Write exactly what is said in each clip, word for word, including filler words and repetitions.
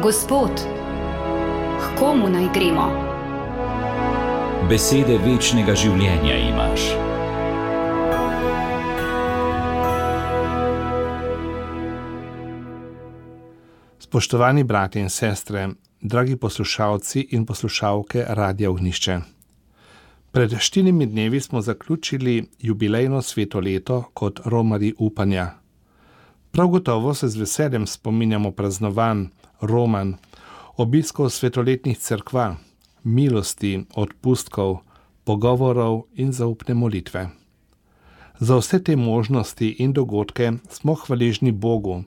Gospod, k komu naj gremo? Besede večnega življenja imaš. Spoštovani bratje in sestre, dragi poslušalci in poslušalke Radia Ognjišče. Pred štirimi dnevi smo zaključili jubilejno sveto leto kot romarji upanja. Prav gotovo se z veseljem spominjamo praznovanj, romanj, obiskov svetoletnih cerkva, milosti, odpustkov, pogovorov in zaupne molitve. Za vse te možnosti in dogodke smo hvaležni Bogu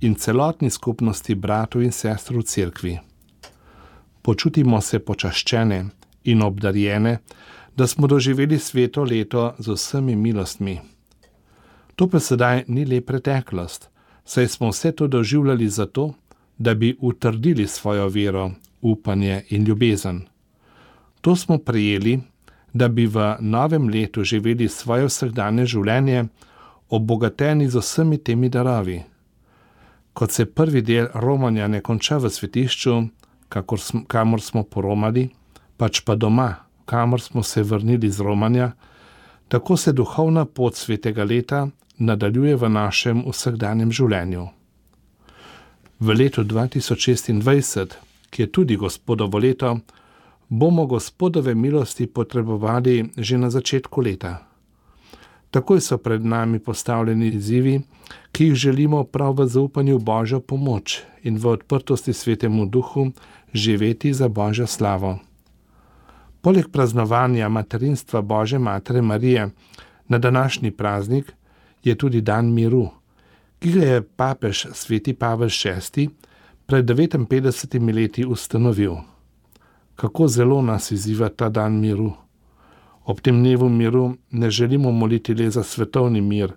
in celotni skupnosti bratov in sester v cerkvi. Počutimo se počaščene in obdarjene, da smo doživeli sveto leto z vsemi milostmi. To pa sedaj ni le preteklost, saj smo vse to doživljali zato, da bi utrdili svojo vero, upanje in ljubezen. To smo prejeli, da bi v novem letu živeli svoje vsakdanje življenje, obogateni z vsemi temi darovi. Kot se prvi del romanja ne konča v svetišču, kakor smo, kamor smo poromali, pač pa doma, kamor smo se vrnili z romanja, tako se duhovna pot svetega leta nadaljuje v našem vsakdanjem življenju. V letu dva tisoč šestindvajset, ki je tudi Gospodovo leto, bomo Gospodove milosti potrebovali že na začetku leta. Takoj so pred nami postavljeni izzivi, ki jih želimo prav v zaupanju Božjo pomoč in v odprtosti Svetemu Duhu živeti za Božjo slavo. Poleg praznovanja materinstva Božje Matere Marije na današnji praznik je tudi dan miru, ki ga je papež sveti Pavel šesti pred devetinpetdesetimi leti ustanovil. Kako zelo nas izziva ta dan miru. Ob tem dnevu miru ne želimo moliti le za svetovni mir,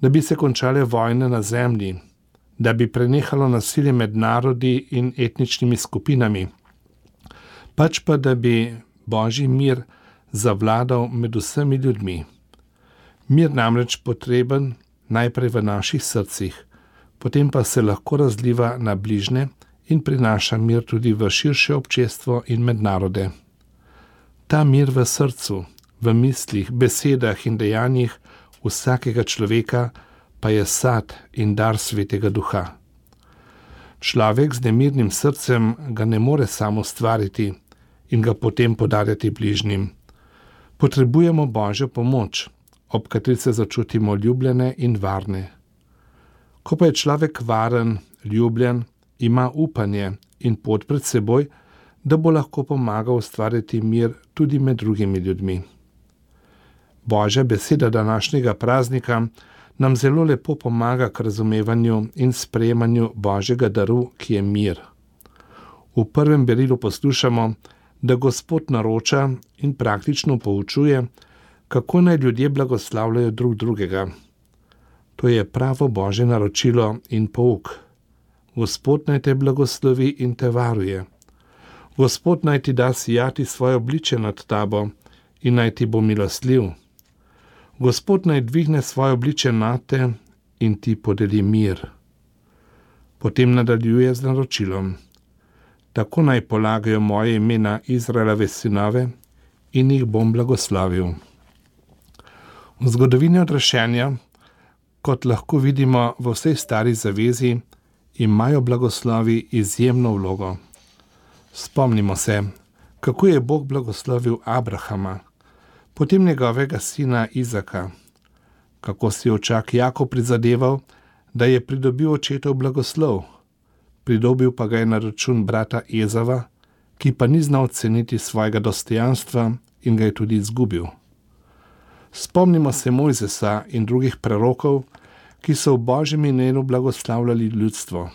da bi se končale vojne na zemlji, da bi prenehalo nasilje med narodi in etničnimi skupinami, pač pa da bi Božji mir zavladal med vsemi ljudmi. Mir namreč potreben najprej v naših srcih, potem pa se lahko razliva na bližnje in prinaša mir tudi v širše občestvo in med narode. Ta mir v srcu, v mislih, besedah in dejanjih vsakega človeka pa je sad in dar Svetega Duha. Človek z nemirnim srcem ga ne more sam ustvariti in ga potem podarjati bližnjim. Potrebujemo Božjo pomoč, ob kateri se začutimo ljubljene in varne. Ko pa je človek varen, ljubljen, ima upanje in pot pred seboj, da bo lahko pomagal ustvariti mir tudi med drugimi ljudmi. Božja beseda današnjega praznika nam zelo lepo pomaga k razumevanju in sprejemanju Božjega daru, ki je mir. V prvem berilu poslušamo, da Gospod naroča in praktično poučuje, kako naj ljudje blagoslavljajo drug drugega. To je pravo Božje naročilo in pouk. Gospod naj te blagoslovi in te varuje. Gospod naj ti da sijati svoje obličje nad tabo in naj ti bo milostljiv. Gospod naj dvigne svoje obličje nad te in ti podeli mir. Potem nadaljuje z naročilom. Tako naj polagajo moje ime na Izraelove sinove in jih bom blagoslavil. V zgodovini odrešenja, kot lahko vidimo v vsej stari zavezi, imajo blagoslovi izjemno vlogo. Spomnimo se, kako je Bog blagoslovil Abrahama, potem njegovega sina Izaka, kako si je očak Jakob prizadeval, da je pridobil očetov blagoslov, pridobil pa ga je na račun brata Ezava, ki pa ni znal ceniti svojega dostojanstva in ga je tudi izgubil. Spomnimo se Mojzesa in drugih prerokov, ki so v Božjem imenu blagoslavljali ljudstvo.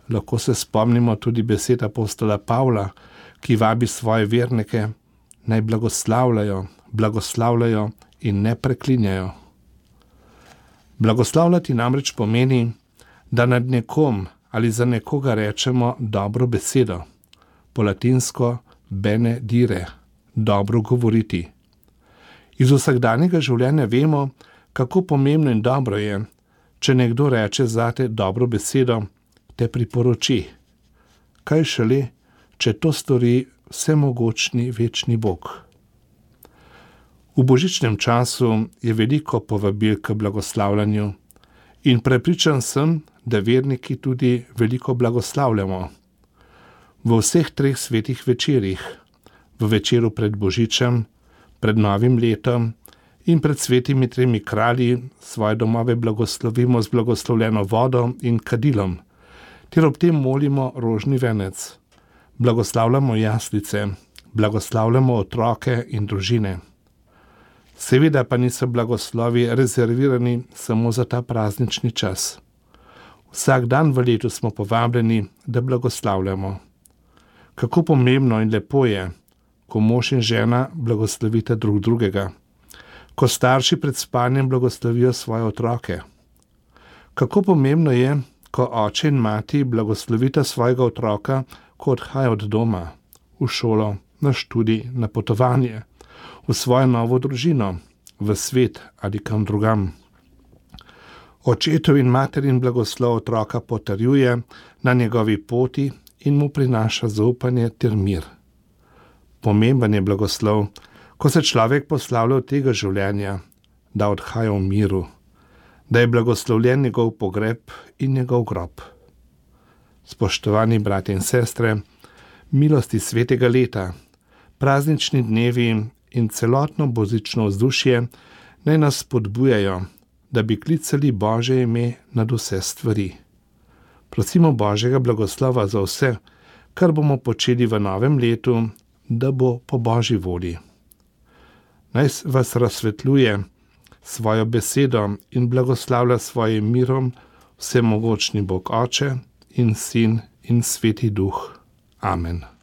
Lahko se spomnimo tudi besed apostola Pavla, ki vabi svoje vernike, naj blagoslavljajo, blagoslavljajo in ne preklinjajo. Blagoslavljati namreč pomeni, da nad nekom ali za nekoga rečemo dobro besedo, po latinsko benedire, dobro govoriti. Iz vsakdanjega življenja vemo, kako pomembno in dobro je, če nekdo reče zate dobro besedo, te priporoči. kaj šele, če to stori vsemogočni večni Bog. V božičnem času je veliko povabil k blagoslavljanju in prepričan sem, da verniki tudi veliko blagoslavljamo. V vseh treh svetih večerih, v večeru pred božičem, pred novim letom in pred svetimi tremi kralji, svoje domove blagoslovimo z blagoslovljeno vodo in kadilom, ter ob tem molimo rožni venec. Blagoslavljamo jaslice, blagoslavljamo otroke in družine. Seveda pa niso blagoslovi rezervirani samo za ta praznični čas. Vsak dan v letu smo povabljeni, da blagoslavljamo. Kako pomembno in lepo je, ko mož in žena blagoslovita drug drugega, ko starši pred spanjem blagoslovijo svoje otroke. Kako pomembno je, ko oče in mati blagoslovita svojega otroka, ko odhaja od doma, v šolo, na študij, na potovanje, v svojo novo družino, v svet ali kam drugam. Očetov in materin blagoslov otroka potrjuje na njegovi poti in mu prinaša zaupanje ter mir. Pomemben je blagoslov, ko se človek poslavlja od tega življenja, da odhaja v miru, da je blagoslovljen njegov pogreb in njegov grob. Spoštovani bratje in sestre, milosti svetega leta, praznični dnevi in celotno božično vzdušje naj nas spodbujajo, da bi klicali Božje ime nad vse stvari. Prosimo Božjega blagoslova za vse, kar bomo počeli v novem letu, da bo po Božji volji. Naj vas razsvetljuje svojo besedo in blagoslavlja svojim mirom vsemogočni Bog Oče in Sin in Sveti Duh. Amen.